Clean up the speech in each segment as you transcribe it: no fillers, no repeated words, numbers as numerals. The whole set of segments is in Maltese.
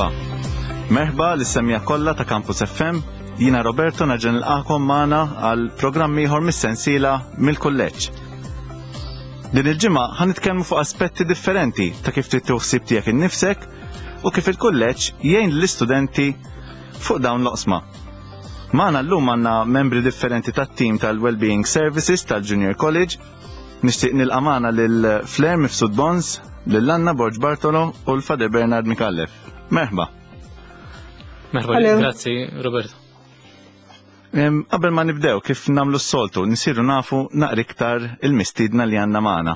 Merħba. Merħba lis-semja kollha ta' Campus FM. Jiena Roberto nerġa' nilqakom magħna għal programm ieħor mis-sensiela mill-kulleġġ. Din il-ġimgħa ħa nitkellmu fuq aspetti differenti ta' kif trid ħsieb tiegħek innifsek u kif il-kulleġġ jgħin lill-istudenti fuq dawn l-oqsma. Magħna llum għandna membri differenti tat-tim tal-Wellbeing Services tal-Junior College. Nixtieq nilqa' magħna lil Flair Mifsud Bons, lil Anna Borg Bartolo u l-Fader Bernard Mikallef. Merħba. Merħba, grazzi Roberto. Qabel ma nibdew kif nagħmlu s-soltu, nisiru nafu naqra iktar il-mistiedna li għandna magħna.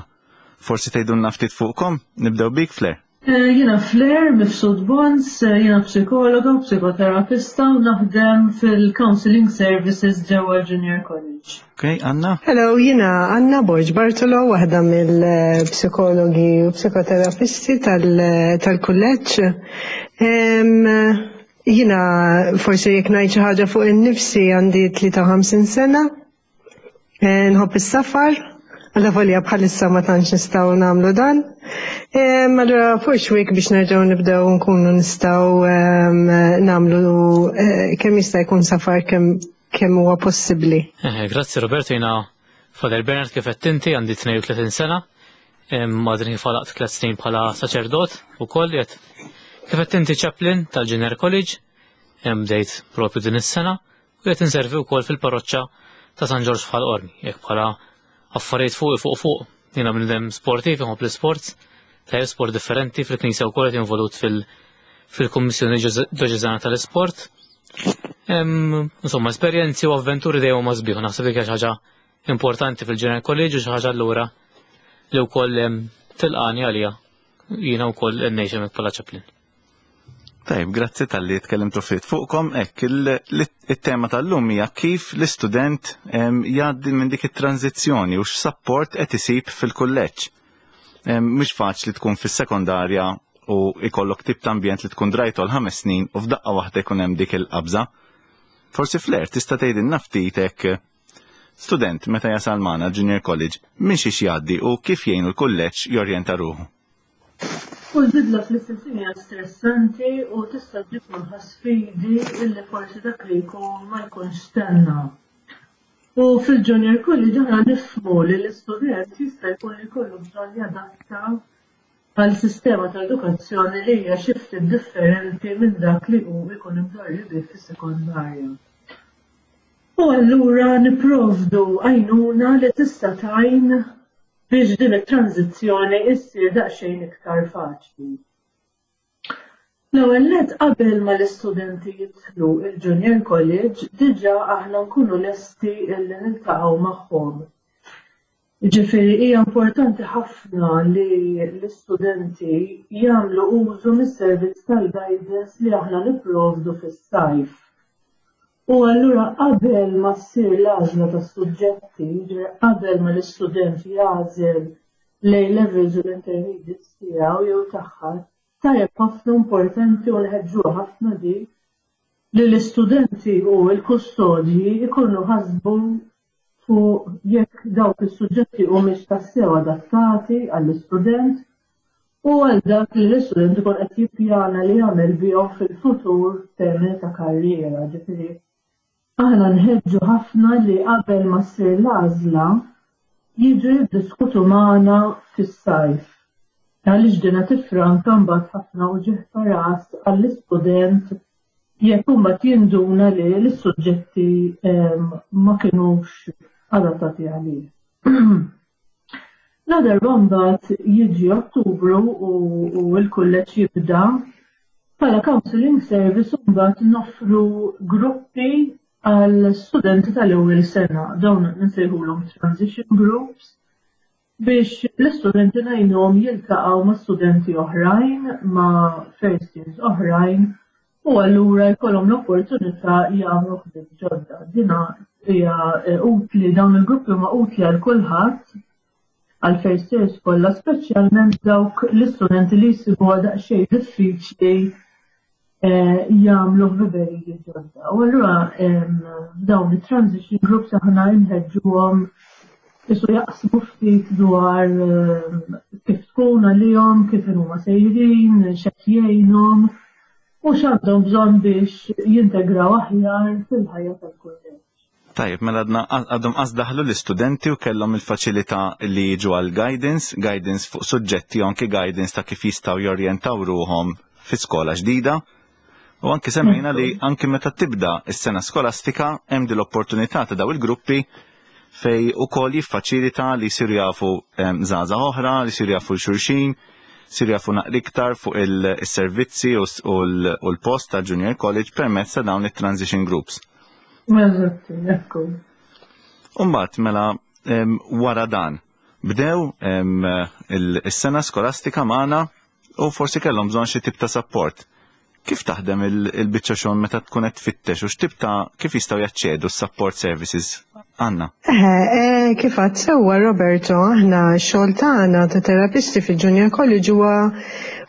Forsi tgħidulna ftit fuqkom? Nibdew bik Flair. Eh, jiena Flair Mifsud Bons, eh, jiena psikologa u psikoterapista u naħdem fil-Counseling Services ġewwa Junior College. Ok, Anna? Hello, jiena Anna Borg Bartolo, waħda mill-psikologi u psikoterapisti tal-kulleġġ. Jiena forsi jekk ngħid xi ħaġa fuq in-nifsi għandi 53 sena, Eh, nħobb is-safar, għalla volja bħalissa ma tantx nistgħu nagħmlu dan. Eh, allura fuq xwik biex nerġgħu nibdew nkunu nistgħu ehm, nagħmlu eh, kemm jista' jkun safar kemm kemm huwa possibbli. Grazzi Roberto, jiena Father Bernard kif qed inti għandi 32 sena, għadni kif għalaqt tliet snin bħala saċerdot ukoll qed kif qed inti chaplain tal-Junior College, bdejt propju din is-sena u qed inservi wkoll fil-parroċċa ta' San Ġorġ f'Ħal Qormi, jekk bħala affarijiet fuq fuq fuq. Jiena bniedem sportiv, inħobb l-isports, tajjeb sport differenti fil-Knisja wkoll qed involut fil-Kummissjoni Djoċeżana tal-Isport. Insomma, esperjenzi u avventuri dejjem huma sbieħ, naħseb dik hija xi ħaġa importanti fil-General College u xi ħaġa allura li wkoll tilqani għalija jiena wkoll ngħix hemmhekk bħala chaplain. Tajb, grazzi tal-li tkellimtu ftit fuqkom. Hekk, il-tema tal-lum hija kif l-istudent jgħaddi minn dik it-tranzizzjoni u x'sapport qed isib fil-kulleġġ. Mhux faċli tkun fis-sekondarja u ikollok tip ta' ambjent li tkun drajtu għal ħames snin u f'daqqa waħda jkun hemm dik il-qabża. Forsi Flair tista' tgħidilna ftit hekk student meta jasal magħna Junior College minn xiex jgħaddi u kif jgħinu l-kulleġġ jorjenta ruħu. Kull bidla fl-istess ħin hija stressanti u tista' ġġib magħha sfidi illi forsi dak li jkun ma jkunx stenna. U fil-Junior College aħna nifhmu li l-istudent jista' jkun li jkollu bżonn jadatta għal sistema ta' edukazzjoni li hija xi ftit differenti minn dak li hu jkun imdorri bih fis-sekondarja. U allura nipprovdu għajnuna li tista' tgħin biex din it-tranżizzjoni issir daqsxejn iktar faċli. L-ewwel nett qabel ma l-istudenti jidħlu il-Junior College diġà aħna nkunu lesti illi niltaqgħu magħhom. Jiġifieri hija importanti ħafna li l-istudenti jagħmlu użu mis-servizz tal-guidance li aħna nipprovdu fis-sajf. U allura qabel ma ssir l-għażla tas-suġġetti, jiġifieri qabel ma l-istudent jagħżel l-A levels u l-intermediates tiegħu jew tagħha, tajjeb ħafna importanti u nħeġġuha ħafna di li l-istudenti u l-kustodji jkunu ħasbu fuq jekk dawk is-suġġetti humiex tassew adattati għall-istudent u għal dak li l-istudent ikun qed jippjana li jagħmel bihom fil-futur f'termini ta' karriera. Ġifieri aħna nħeġġu ħafna li qabel ma ssir l-għażla jiġu jiddiskutu magħna fis-sajf. Għaliex dina tiffranka mbagħad ħafna uġigħ ta' ras għall-istudent jekk imbagħad jinduna li l-suġġetti ma kinux adattati għalih. La darba mbagħad jiġi Ottubru u l-kulleġġ jibda, bħala counseling service mbagħad noffru gruppi għal studenti tal-ewwel sena, dawn nsejħulhom transition groups, biex l-istudenti ngħinuhom jiltaqgħu ma' studenti oħrajn, ma' first years oħrajn, u allura jkollhom l-opportunità jagħmlu ħbieb ġodda. Dina hija eh, utli dawn il-gruppi huma utli għal kulħadd għal first years kollha, speċjalment dawk l-istudenti li jsibuha daqsxejn diffiċli Eh, jagħmlu ħbiberiji ġodda. U allura dawn it-transition groups aħna nħeġġuhom isu jaqsmu ftit dwar kif tkun għalihom, kif huma sejrin, x'qed jgħinhom. u x'għandhom bżonn biex jintegraw aħjar fil-ħajja tal-kulleġġ. Tajjeb, mela għadna għadhom qas daħlu l-istudenti u kellhom il-faċilità li jiġu għal guidance, guidance fuq suġġetti u anki guidance ta' kif jistgħu jorjentaw ruħhom fi skola ġdida. U anki semmejna li anki meta tibda s-sena skolastika hemm din l-opportunità ta' daw il-gruppi fej ukoll jiffaċilita li jsiru jafu żgħażagħ oħra, li jsiru jafu l-xulxin, jsiru jafu naqra iktar fuq il-servizzi u l-post ta' Junior College permezz ta' dawn it-transition groups. Eżatt, ekku. Umbagħad mela wara dan bdew is-sena skolastika magħna u forsi kellhom bżonn xi tip ta' support. Kif taħdem il-biċċa xogħol meta tkun qed tfittex u x'tip ta' kif jistgħu jaċċedu s-support services għandna? Eh, kif għad sewwa Roberto, aħna x-xogħol tagħna ta' terapisti fil-Junior College huwa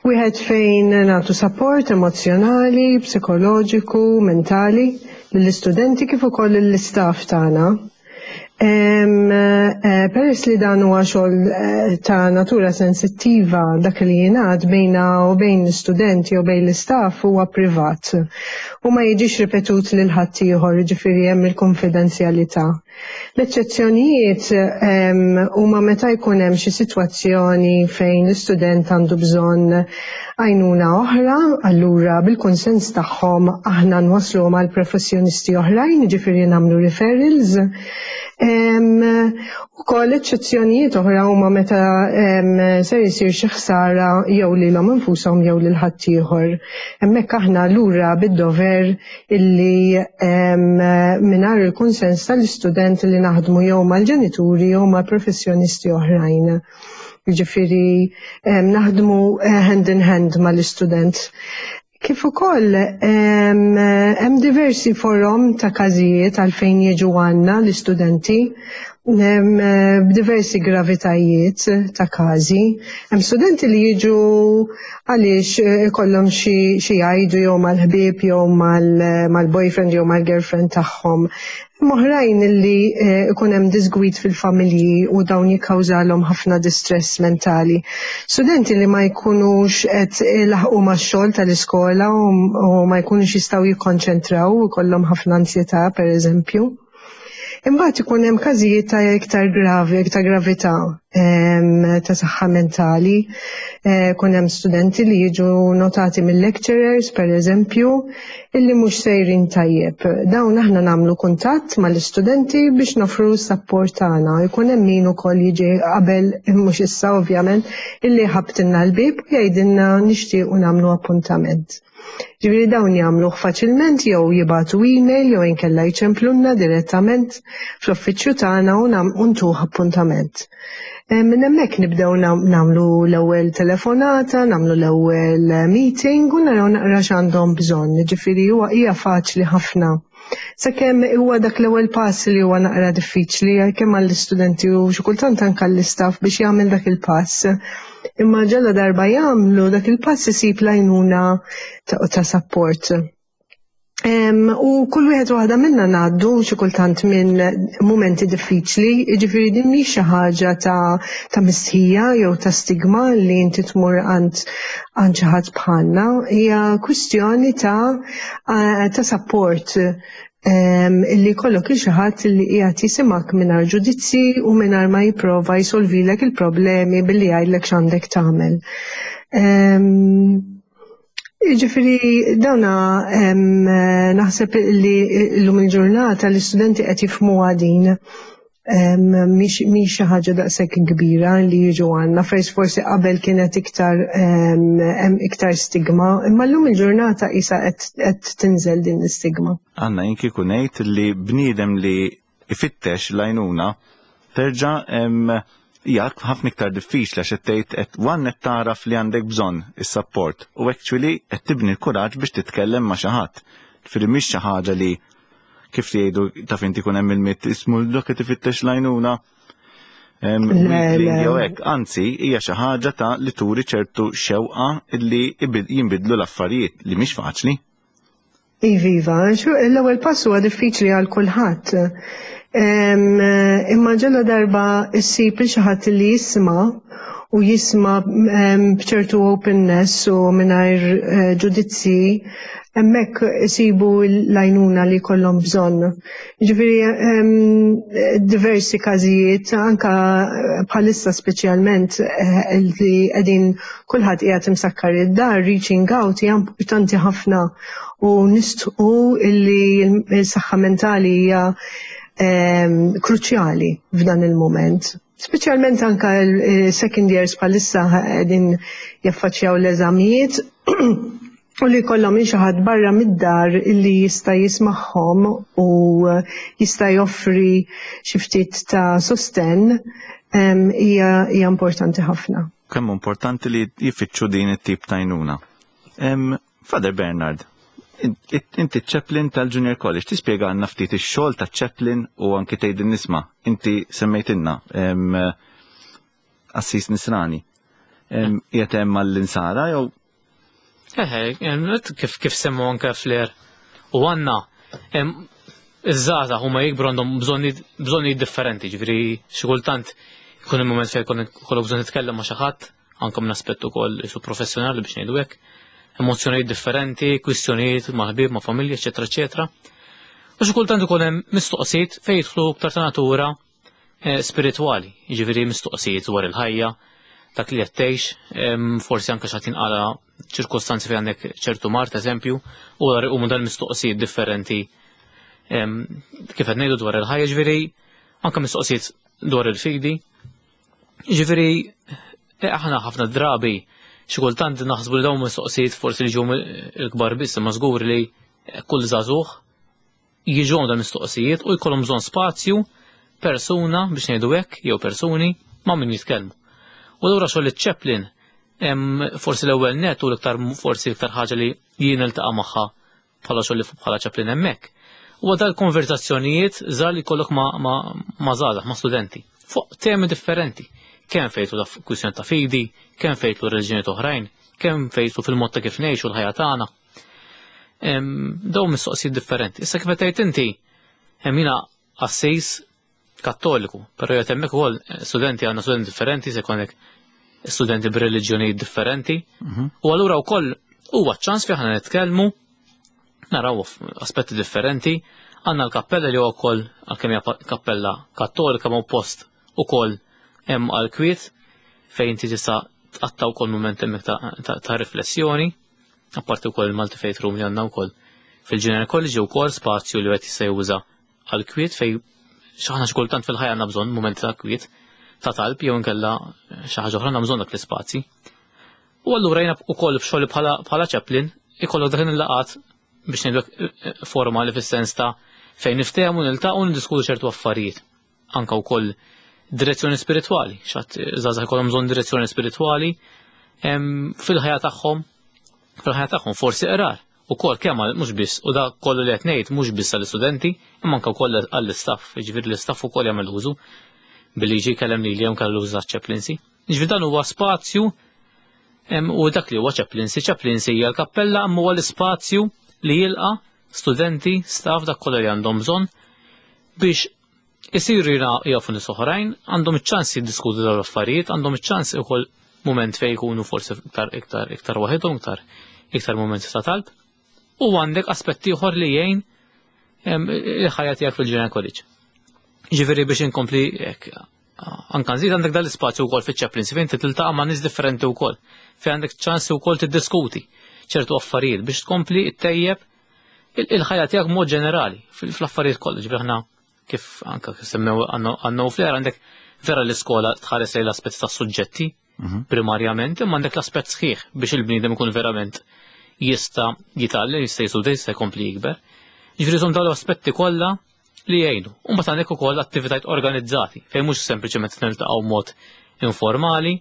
wieħed fejn nagħtu support emozjonali, psikoloġiku, mentali lill-istudenti kif ukoll lill-istaff tagħna. Peress li dan huwa xogħol ta' natura sensittiva, dak li jingħad bejna u bejn l-istudenti u bejn l-istaff huwa privat u ma jiġix ripetut lil ħadd ieħor, jiġifieri hemm il-konfidenzjalità. L-eċċezzjonijiet huma meta jkun hemm xi sitwazzjoni fejn l-istudent għandu bżonn għajnuna oħra, allura bil-kunsens tagħhom aħna nwassluhom għal professjonisti oħrajn, jiġifieri nagħmlu referrals. Ukoll eċċezzjonijiet oħra huma meta ser isir xi ħsara jew lilhom infushom jew lil ħaddieħor. Hemmhekk aħna lura bid-dover illi mingħajr il-kunsens tal-istudent li naħdmu jew mal-ġenituri jew mal-professjonisti oħrajn. Jiġifieri naħdmu hand in hand mal-istudent. Kif ukoll hemm diversi forom ta' każijiet għalfejn jiġu għandna l-istudenti b'diversi gravitajiet ta' każi. Hemm studenti li jiġu għaliex ikollhom xi jgħidu jew mal-ħbieb jew mal-boyfriend jew mal-girlfriend tagħhom. Hemm oħrajn li ikun hemm disgwid fil-familji u dawn jikkawżalhom ħafna distress mentali. Studenti li ma jkunux qed ilaħqu max-xogħol tal-iskola u ma jkunux jistgħu jikkonċentraw u jkollhom ħafna ansjetà pereżempju. Imbagħad ikun hemm każijiet ta' iktar gravi, iktar gravità ta' saħħa mentali. Ikun hemm studenti li jiġu notati mill-lecturers, per eżempju, illi mhux sejrin tajjeb. Dawn aħna nagħmlu kuntatt mal-istudenti biex nofru s-sapport tagħna. Ikun hemm min ukoll jiġi qabel, mhux issa ovvjament, illi ħabtilna l-bieb u jgħidilna nixtiequ nagħmlu appuntament. Ġifieri dawn jagħmluh faċilment jew jibagħtu email jew inkella jċemplunna direttament fl-uffiċċju tagħna u ntuh appuntament. Minn hemmhekk nibdew nagħmlu l-ewwel telefonata, nagħmlu l-ewwel meeting u naraw naqra x'għandhom bżonn. Ġifieri huwa hija faċli ħafna. Sakemm huwa dak l-ewwel pass li huwa naqra diffiċli kemm għall-istudenti u xi kultant anke għall-istaff biex jagħmel dak il-pass. Imma ġalla darba jagħmlu dak il-pass isib l-għajnuna ta' support. U kull wieħed waħda minna ngħaddu xi kultant minn mumenti diffiċli, jiġifieri din mhix xi ħaġa ta' mistħija jew ta' stigma li inti tmur għand xi ħadd bħalna, hija kwistjoni ta' support illi jkollok il xi ħadd li qiegħed jisimgħek mingħajr ġudizzji u mingħajr ma jipprova jsolvilek il-problemi billi jgħidlek x'għandek tagħmel. Jiġifieri dawna naħseb li llum il-ġurnata l-istudenti qed jifhmuha din. Mhix xi ħaġa daqshekk kbira li jiġu għandna, fejn forsi qabel kienet iktar hemm iktar stigma, imma llum il-ġurnata qisha qed tinżel din l-istigma. Anna, jien kieku ngħid li bniedem li ifittex l-għajnuna terġa' hija ħafna iktar diffiċli għax qed tgħid qed one qed tagħraf li għandek bżonn is-support u actually qed tibni l-kuraġġ biex titkellem ma' xi ħadd. Ġifieri mhix xi ħaġa li kif jgħidu taf inti kun hemm il-mitt ismu dak qed ifittex l-għajnuna. Jew hekk, anzi hija xi ħaġa ta' li turi ċertu xewqa li jinbidlu l-affarijiet li mhix faċli. Iviva, l-ewwel pass huwa diffiċli għal kulħadd. Imma ġella darba issib xi ħadd li jisma' u jisma' b'ċertu openness u mingħajr eh, ġudizzji hemmhekk isibu l-għajnuna li jkollhom bżonn. Ġifieri diversi każijiet anka bħalissa speċjalment eh, li qegħdin kulħadd qiegħed imsakkar id-dar, reaching out hija importanti ħafna u nistqu illi l-saħħa mentali hija kruċjali f'dan il-moment. Speċjalment anka l-second years bħalissa qegħdin jaffaċċjaw l-eżamijiet u li jkollhom xi ħadd barra mid-dar li jista' jismagħhom u jista' joffri xi ftit ta' sostenn hija importanti ħafna. Kemm importanti li jfittxu din it-tip ta' għajnuna. Father Bernard, inti chaplain tal-Junior College, tispjega għandna ftit ix-xogħol ta' chaplain u anki tgħid nisma' inti semmejtilna assis nisrani. Qiegħed hemm għall-insara jew Eħe, kif kif semmu anke fler u għanna iż-żgħażagħ huma jikbru għandhom bżonnijiet differenti, ġifieri xi kultant ikun il mument fejn jkollok bżonn titkellem ma' xi ħadd, anke minn aspett ukoll isu professjonali biex ngħidu hekk, emozzjonijiet differenti, kwistjonijiet ma' ħbieb, ma' familja, eċetera, eċetera. U xi kultant ikun hemm mistoqsijiet fejn jidħlu aktar ta' natura eh, spiritwali, jiġifieri mistoqsijiet dwar il-ħajja, dak li qed tgħix, forsi anke xi tinqala ċirkostanzi fejn għandek ċertu mart eżempju, u għar iqumu dan mistoqsijiet differenti kif qed ngħidu dwar il-ħajja, ġifieri anke mistoqsijiet dwar il-fidi. Ġifieri eh, aħna ħafna drabi xi kultant naħsbu li dawn mistoqsijiet forsi li ġew il-kbar biss, imma żgur li kull żagħżugħ jiġu dan mistoqsijiet u jkollhom bżonn spazju, persuna biex ngħidu hekk jew persuni ma' min jitkellmu. U allura xogħol iċ-chaplain forsi l-ewwel net u l-iktar forsi l-iktar ħaġa li jien niltaqa' magħha bħala xogħol bħala chaplain hemmhekk. Huwa dal-konverzazzjonijiet żgħar li jkollok ma' ma' żgħażagħ, ma' studenti fuq temi differenti. Kemm fejtu ta' kwistjoni ta' fidi, kemm fejtu reliġjonijiet oħrajn, kemm fejtu fil-mod ta' kif ngħixu l-ħajja tagħna. Dawn mistoqsijiet differenti. Issa kif qed tgħid inti, hemm jiena qassis kattoliku, però jgħid hemmhekk ukoll studenti għandna studenti differenti, se jkollek studenti b'reliġjonijiet differenti. U allura wkoll huwa ċans fejn aħna nitkellmu naraw aspetti differenti. Għandna l-kappella li huwa wkoll għalkemm hija kappella kattolika ma' post ukoll hemm għall-kwiet fejn inti tista' tqatta' wkoll mument hemmhekk ta', ta riflessjoni. Apparti wkoll il-Malti Faith Room li għandna wkoll fil-Junior College wkoll spazju li wieħed jista' juża għal kwiet fej xaħna xi kultant fil-ħajja għandna bżonn mumenti ta' kwiet ta' talb jew inkella xi ħaġa oħra għandna bżonn dak l-ispazji. U allura jiena wkoll f'xogħli bħala bħala chaplain ikollok dak il-laqat biex ngħidlek eh, eh, formali fis-sens ta' fejn niftehmu niltaqgħu niddiskutu ċertu affarijiet. Anka wkoll direzzjoni spiritwali, xatt żgħażagħ ikollhom bżonn direzzjoni spiritwali fil-ħajja tagħhom, fil-ħajja tagħhom forsi qrar ukoll kemm mhux biss u dak kollu li qed ngħid mhux biss għall-istudenti imma anke wkoll għall-istaff, jiġifieri l-istaff ukoll jagħmel użu billi jiġi jkellem lili jew kellu użu chaplaincy. Jiġifieri dan huwa spazju u dak li huwa chaplaincy, chaplaincy hija l-kappella imma huwa l-ispazju li jilqa' studenti, staff dak kollu li għandhom bżonn biex isiru jafu nies oħrajn, għandhom iċ-ċans jiddiskutu dawn l-affarijiet, għandhom iċ-ċans ukoll mument fejn jkunu forsi iktar iktar iktar waħedhom, iktar iktar mumenti ta' talb. U għandek aspett ieħor li jgħin il-ħajja tiegħek fil-Junior College. Ġifieri biex inkompli hekk anka nżid għandek dal-ispazju wkoll fiċ-chaplaincy fejn tiltaqa' ma' nies differenti wkoll, fejn għandek ċans ukoll tiddiskuti ċertu affarijiet biex tkompli ttejjeb il-ħajja tiegħek mod ġenerali fl-affarijiet kollha. Ġifieri aħna kif anka kif semmew għandna fler għandek vera l-iskola tħares lejn l-aspett tas-suġġetti primarjament, imma għandek l-aspett sħiħ biex il-bniedem ikun verament jista' jitgħallem, jista' jisudja, jista' jkompli jikber. Ġifieri dawn l-aspetti kollha li jgħinu. U mbagħad għandek ukoll attivitajiet organizzati fejn mhux sempliċement niltaqgħu mod informali,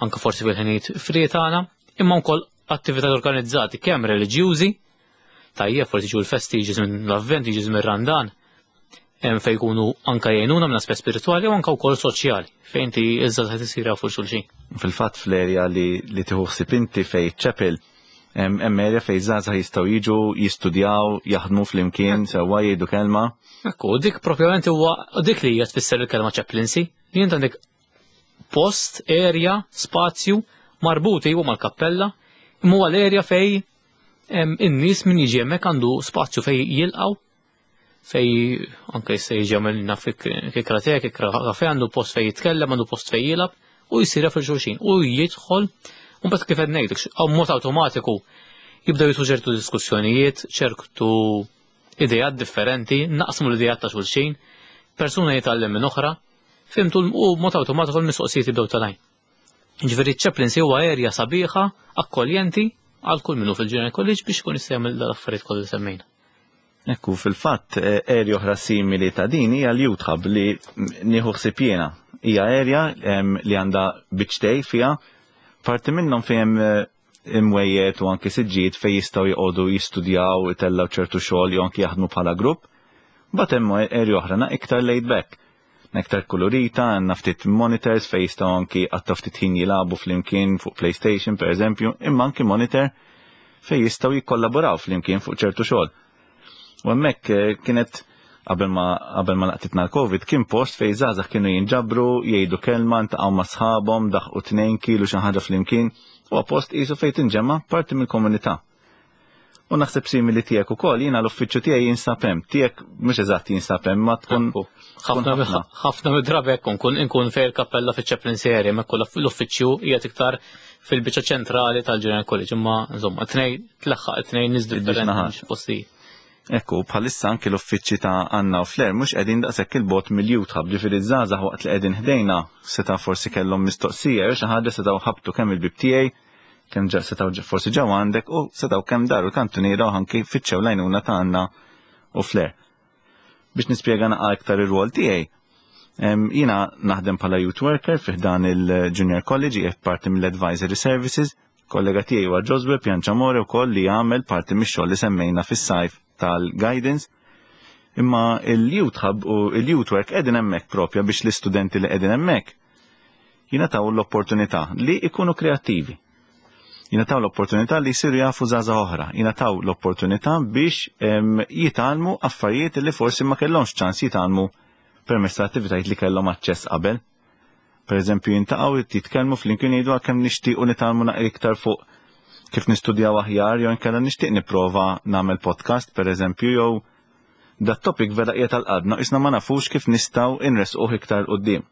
anke forsi fil-ħinijiet free tagħna, imma wkoll attivitajiet organizzati kemm reliġjużi, tajjeb forsi ġu l-festi jiġi żmien l-avvent, jiġi żmien Randan, fejn jkunu anka jgħinuna minn aspett spiritwali u anka wkoll soċjali fejn inti iżda qed isir jafu xulxin. Fil-fatt fl-erja li, li tieħu ħsieb inti fejn chapel hemm erja fejn żgħażagħ jistgħu jiġu jistudjaw, jaħdmu flimkien, sewwa jgħidu kelma. Ekku, dik propjament huwa dik li hija tfisser il-kelma chaplaincy, li int għandek post, area, spazju marbut iwa mal-kappella, imma huwa l-area fej in-nies min jiġi hemmhekk għandu spazju fej jilqgħu fej anke jista' jiġi għamilna kikra te, kikra kafe, għandu post fej jitkellem, għandu post fej jilgħab u jsir jaf il-xulxin u jidħol u mbagħad kif qed ngħidlek, mod awtomatiku jibdew jitlu ċertu diskussjonijiet, ċertu ideat differenti, naqsmu l-ideat ta' xulxin, persuna jitgħallem minn oħra, fimtu u mod awtomatiku l-mistoqsijiet jibdew telgħin. Ġifieri ċ-chaplaincy huwa area sabiħa, akkoljenti għal kull minnu fil-Junior College biex ikun jista' jagħmel dal-affarijiet kollha li semmejna. Ekku, fil-fatt, area oħra simili ta' din hija l-Youth Hub li nieħu ħsieb jiena. Hija area li għandha biċtej fiha, parti minnhom fejn hemm imwejjed u anki siġġijiet fejn jistgħu joqogħdu jistudjaw, itellgħu ċertu xogħol jew anki jaħdmu bħala grupp. Mbagħad hemm area oħra na iktar laid back. Na iktar kulurita, għandna ftit monitors fejn jistgħu anki qattgħu ftit ħin jilagħbu flimkien fuq PlayStation pereżempju, imma anki monitor fejn jistgħu jikkollaboraw flimkien fuq ċertu xogħol. U hemmhekk kienet qabel ma qabel ma laqtitna l-Covid kien post fejn żgħażagħ kienu jinġabru, jgħidu kelma, ntaqgħu ma' sħabhom, daħqu tnejn kielu xi ħaġa flimkien. Huwa post qisu fejn tinġema' parti mill-komunità. U naħseb simili tiegħek ukoll, jiena l-uffiċċju tiegħi jinsab hemm, tiegħek mhux eżatt jinsab hemm, ma tkun ħafna ħafna mid-drabi hekk nkun inkun fejn il-kappella fiċ-chaplaincy area, hemmhekk kollha l-uffiċċju qiegħed iktar fil-biċċa ċentrali tal-General College, imma insomma tnej tlaħħaq it-tnejn nies differenti postijiet. Ekku, bħalissa anki l-uffiċċji ta' Anna u Flair mhux qegħdin daqshekk il-bogħod mill-Youth Hub, ġifieri ż-żgħażagħ waqt li qegħdin ħdejna seta' forsi kellhom mistoqsija jew xi ħaġa setgħu ħabtu kemm il-bieb tiegħi, kemm ġa setgħu forsi ġew għandek u setgħu kemm daru l-kantuniera u anki fittxew l-għajnuna ta' Anna u Flair. Biex nispjega naqa' iktar ir-rwol tiegħi, jiena naħdem bħala youth worker fi ħdan il-Junior College, qiegħed parti mill-Advisory Services. Kollega tiegħi huwa Josue Pianciamore wkoll li jagħmel parti mix-xogħol li semmejna fis-sajf tal-guidance. Imma il-Youth Hub u il-Youth Work qegħdin hemmhekk propja biex l-istudenti li qegħdin hemmhekk jingħataw l-opportunità li jkunu kreattivi. Jingħataw l-opportunità li jsiru jafu żgħażagħ oħra, jingħataw l-opportunità biex jitgħallmu affarijiet li forsi ma kellhomx ċans jitgħallmu permezz ta' attivitajiet li kellhom aċċess qabel. Per eżempju, jintaqgħu jitkellmu flimkien jgħidu kemm nixtiequ nitgħallmu naqra iktar fuq kif nistudjaw aħjar jew inkella nixtieq nipprova nagħmel podcast per eżempju jew dat topic vera qiegħed għal-qalbna isna ma nafux kif nistgħu inresquh iktar quddiem.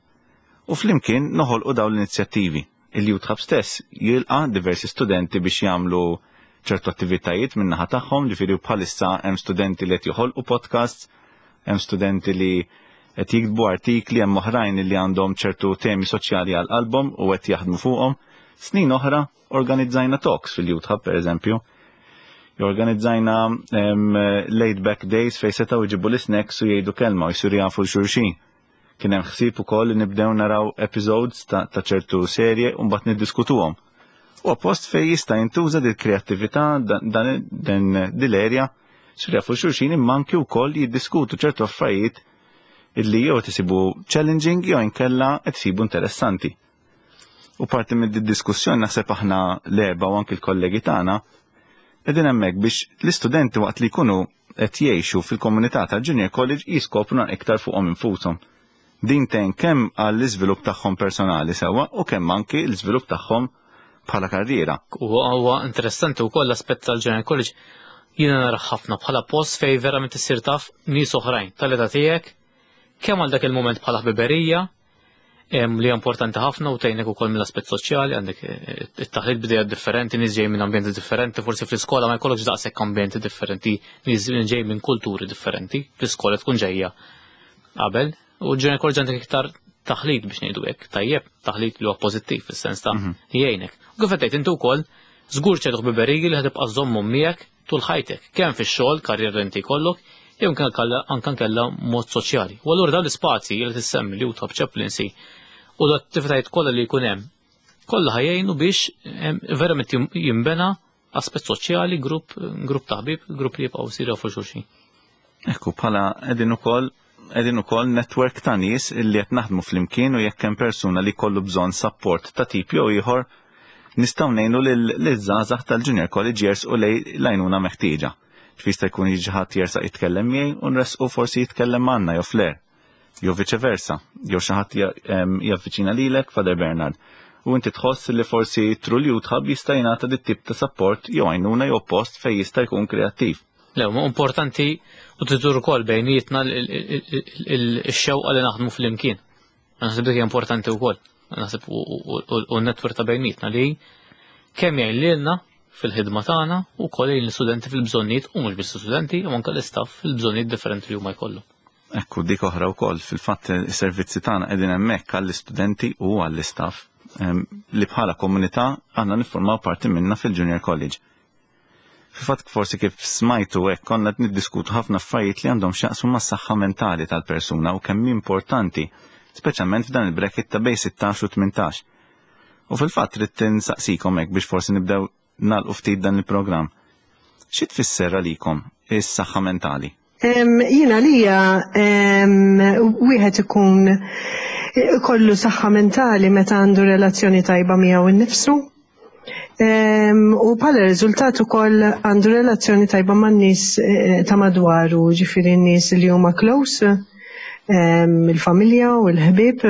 U flimkien noħolqu dawn l-inizjattivi. Il-Youth Hub stess jilqa' diversi studenti biex jagħmlu ċertu attivitajiet min-naħa tagħhom, ġifieri bħalissa hemm studenti li qed joħolqu podcasts, hemm studenti li qed jiktbu artikli, hemm oħrajn li għandhom ċertu temi soċjali għal qalbhom u qed jaħdmu fuqhom. Snin oħra organizzajna talks fil-Youth Hub pereżempju. Organizzajna laid back days fejn setgħu jġibu l-snacks u jgħidu kelma u jsiru jafu l-xulxin. Kien hemm ħsieb ukoll li nibdew naraw episodes ta' ċertu serje u mbagħad niddiskutuhom. U post fejn jista' jintuża dil kreattività dan dil-erja jsiru jafu xulxin imma anki wkoll jiddiskutu ċertu affarijiet illi jew tisibu challenging jew inkella qed isibu interessanti. U parti minn diskussjoni naħseb aħna l-erba' u anki l-kollegi tagħna qegħdin hemmhekk biex l-istudenti waqt li jkunu qed jgħixu fil-komunità tal-Junior College jiskopru iktar fuqhom infushom. Din tgħin kemm għall-iżvilupp tagħhom personali sewwa u kemm anki l-iżvilupp tagħhom bħala karriera. U huwa interessanti wkoll l-aspett tal-Junior College jiena nara ħafna bħala post fejn verament issir taf nies oħrajn tal-età tiegħek kemm għal dak il-moment bħala ħbiberija li importanti ħafna u tgħinek ukoll mill-aspett soċjali, għandek it-taħlit bidejat differenti, nies ġej minn ambjenti differenti, forsi fl-iskola ma jkollokx daqshekk ambjenti differenti, nies ġej minn kulturi differenti, fl-iskola tkun ġejja qabel, u ġejja college għandek iktar taħlit biex ngħidu hekk, tajjeb, taħlit li huwa pożittiv fis-sens ta' jgħinek. U kif qed inti wkoll żgur ċertu ħbiberiji li ħatibqa' żommhom miegħek tul ħajtek, kemm fix-xogħol, karriera inti jkollok, jew anke nkella mod soċjali. U allura dawn l-ispazji li tissemmi li Youth Hub Chaplaincy u l-attivitajiet kollha li jkun hemm, kollha ħajjejnu biex verament jinbena aspett soċjali, grupp ta' ħbieb, grupp li jibqgħu jsiru fuq xulxin. Ekku, bħala qegħdin ukoll network ta' nies illi qed naħdmu flimkien u jekk hemm persuna li kollu bżonn support ta' tip jew ieħor, nistgħu ngħinu lil żgħażagħ tal-Junior College jersqu lejn l-għajnuna meħtieġa. Jista' jkun jiġi ħadd jersaq jitkellem miegħi u nresqu forsi jitkellem magħna jew Flair. jew viċe versa, jew xi ħadd javviċina lilek, Father Bernard, u inti tħoss li forsi through l-Youth Hub jista' jingħata dit tip ta' support jew għajnuna jew post fejn jista' jkun kreattiv. Le, ma importanti u tidur ukoll bejnietna x-xewqa li naħdmu flimkien. Naħseb dik importanti wkoll. Naħseb u n-netwerk ta' bejnietna li kemm jgħin lilna fil-ħidma tagħna u wkoll jgħin l-istudenti fil-bżonnijiet u mhux biss studenti u anke l-istaff fil-bżonnijiet differenti li huma jkollhom. Ekku dik oħra wkoll fil-fatt is-servizzi tagħna qegħdin hemmhekk għall-istudenti u għall-istaff li bħala komunità għandna niffurmaw parti minna fil-Junior College. Fil-fatt forsi kif smajtu hekk konna qed niddiskutu ħafna affarijiet li għandhom x'jaqsmu mas-saħħa mentali tal-persuna u kemm importanti, speċjalment f'dan il-bracket ta' bejn 16 u 18. U fil-fatt ridt insaqsikom hekk biex forsi nibdew nagħlqu ftit dan il-programm. Xi tfisser għalikom is-saħħa mentali? Jiena lija wieħed ikun kollu saħħa mentali meta għandu relazzjoni tajba miegħu nnifsu. U bħala riżultat ukoll għandu relazzjoni tajba man-nies eh, ta' madwaru, ġifieri n-nies li huma close, il-familja u l-ħbieb,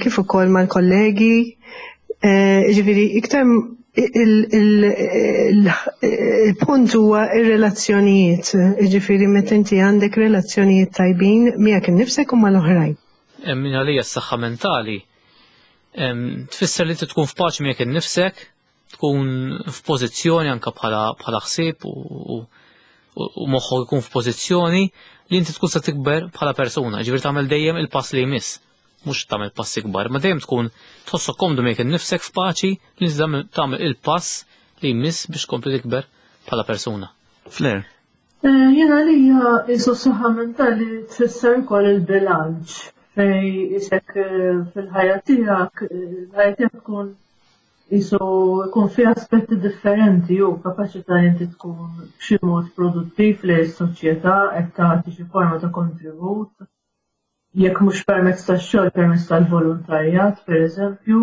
kif ukoll mal-kollegi. Eh, ġifieri iktar il-punt huwa ir-relazzjonijiet, ġifieri meta inti għandek relazzjonijiet tajbin miegħek innifsek u mal-oħrajn. Min għalija s-saħħa mentali tfisser li tkun f'paċi miegħek innifsek, tkun f'pożizzjoni anke bħala ħsieb u moħħok ikun f'pożizzjoni li inti tkun se tikber bħala persuna, ġifieri tagħmel dejjem il-pass li jmiss mhux tagħmel passi kbar, ma dejjem tkun tħossok komdu miegħek innifsek f'paċi li tagħmel il-pass li jmiss biex tkompli tikber bħala persuna. Flair. Eh, jena lija jisu saħħa mentali tfisser ukoll il-bilanċ fej isek eh, fil-ħajja tiegħek, eh, il-ħajja tiegħek tkun jisu jkun fi aspetti differenti u kapaċità inti tkun b'xi mod produttiv li s-soċjetà qed tagħti xi forma ta' kontribut jekk mhux permezz tax-xogħol permezz tal-volontarjat pereżempju,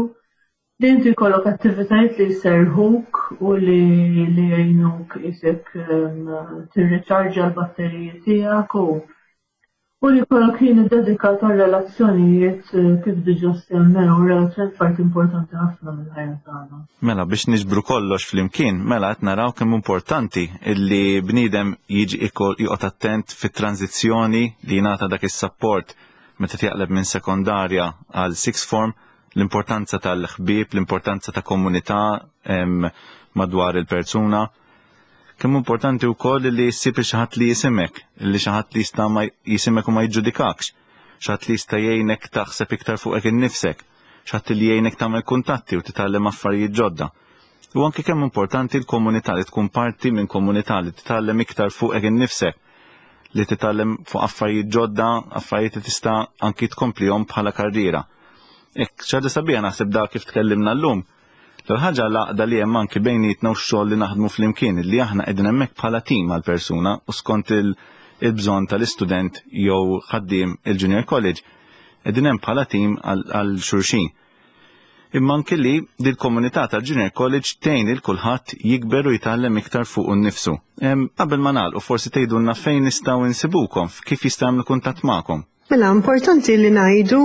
li inti jkollok attivitajiet li jserħuk u li li jgħinuk isek ehm, tirriċarġa l-batteriji tiegħek u u li jkollok ħin iddedikat għal relazzjonijiet eh, kif diġà semmew, relazzjonijiet parti importanti ħafna mill-ħajja tagħna. Mela biex niġbru kollox flimkien, mela qed naraw kemm importanti illi bniedem jiġi joqgħod attent fit-tranżizzjoni li jingħata dak is-sapport meta tjaqleb minn sekondarja għal sixth form, l-importanza tal-ħbieb, l-importanza ta' komunità madwar il-persuna. Kemm importanti wkoll li ssib xi ħadd li jisimek, li xi ħadd li jista' ma jisimek u ma jiġġudikakx, xi ħadd li jista' jgħinek taħseb iktar fuqek innifsek, xi ħadd li jgħinek tagħmel kuntatti u titgħallem affarijiet ġodda. U anke kemm importanti l-komunità li tkun parti minn komunità li titgħallem iktar fuqek innifsek, li titgħallem fuq affarijiet ġodda, affarijiet li tista' anki tkomplihom bħala karriera. Ek, ċaġa sabiħa naħseb da kif tkellimna llum. L-ħaġa l-għaqda li hemm anki bejnietna u x-xogħol li naħdmu flimkien, li aħna qegħdin hemmhekk bħala tim għal persuna u skont il-bżonn tal-istudent jew ħaddiem il-Junior College, qegħdin hemm bħala tim għal xulxin. Imma anki li dil-komunità tal-Junior College tgħin il kulħadd jikber u jitgħallem iktar fuq nnifsu. Qabel ma nagħlqu forsi tgħidulna fejn nistgħu insibukom, kif jistgħu jagħmlu kuntatt magħkom. Mela, importanti li ngħidu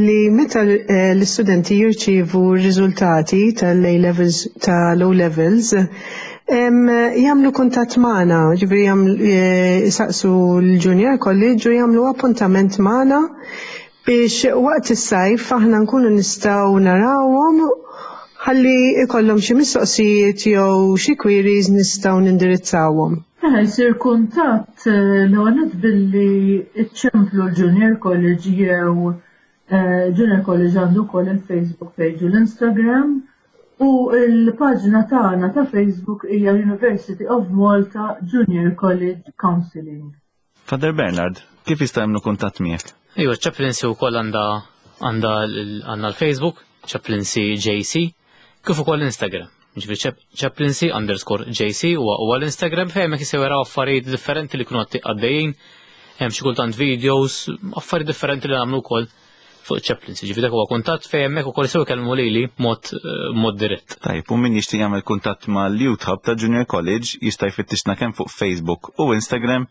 li meta eh, l-istudenti jirċievu r-riżultati tal-A levels tal-O levels, jagħmlu kuntatt magħna, ġifieri eh, jsaqsu l-Junior College u jagħmlu appuntament magħna biex waqt is-sajf aħna nkunu nistgħu narawhom ħalli ikollhom xi mistoqsijiet jew xi queries nistgħu nindirizzawhom. Mela jsir kuntatt eh, l-ewwel billi iċċemplu l-Junior College jew eh, Junior College għandu wkoll il-Facebook page u l-Instagram u l-paġna tagħna ta' Facebook hija University of Malta Junior College Counseling. Father Bernard, kif jista' jagħmlu kuntatt miegħek? Ejwa, Chaplaincy wkoll għandha għandha għandna l-Facebook, Chaplaincy JC, kif ukoll Instagram. Ġifieri Chaplaincy underscore JC huwa huwa l-Instagram fejn hemmhekk jistgħu jaraw affarijiet differenti li jkunu għaddejjin, hemm xi kultant videos, affarijiet differenti li nagħmlu wkoll fuq chaplaincy. Ġifieri dak huwa kuntatt fejn hemmhekk ukoll jistgħu jkellmu lili mod eh, mod dirett. Tajb, u min jixtieq jagħmel kuntatt mal-Youth Hub ta' Junior College jista' jfittixna kemm fuq Facebook u Instagram.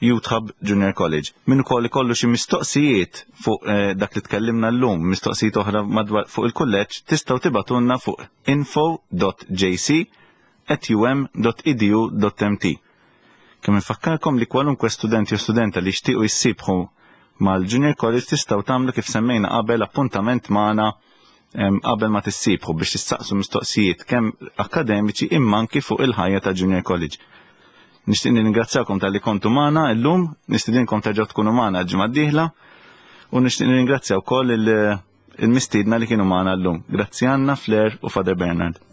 Youth Hub Junior College. Min ukoll ikollu xi mistoqsijiet fuq eh, dak li tkellimna llum, mistoqsijiet oħra madwar fuq il-kulleġġ, tistgħu tibgħatulna fuq info.jc@um.edu.mt. Kemm infakkarkom li kwalunkwe student jew studenta li jixtiequ jissibħu mal-Junior College tistgħu tagħmlu kif semmejna qabel appuntament magħna qabel ma tissibħu biex tistaqsu mistoqsijiet kemm akademiċi imma anki fuq il-ħajja ta' Junior College. Nixtieq nirringrazzjakom talli kontu magħna illum, nistidinkom terġgħu tkunu magħna l-ġimgħa d-dieħla u nixtieq nirringrazzja wkoll il-mistiedna li kienu magħna llum. Grazzi Anna, Flair u Father Bernard.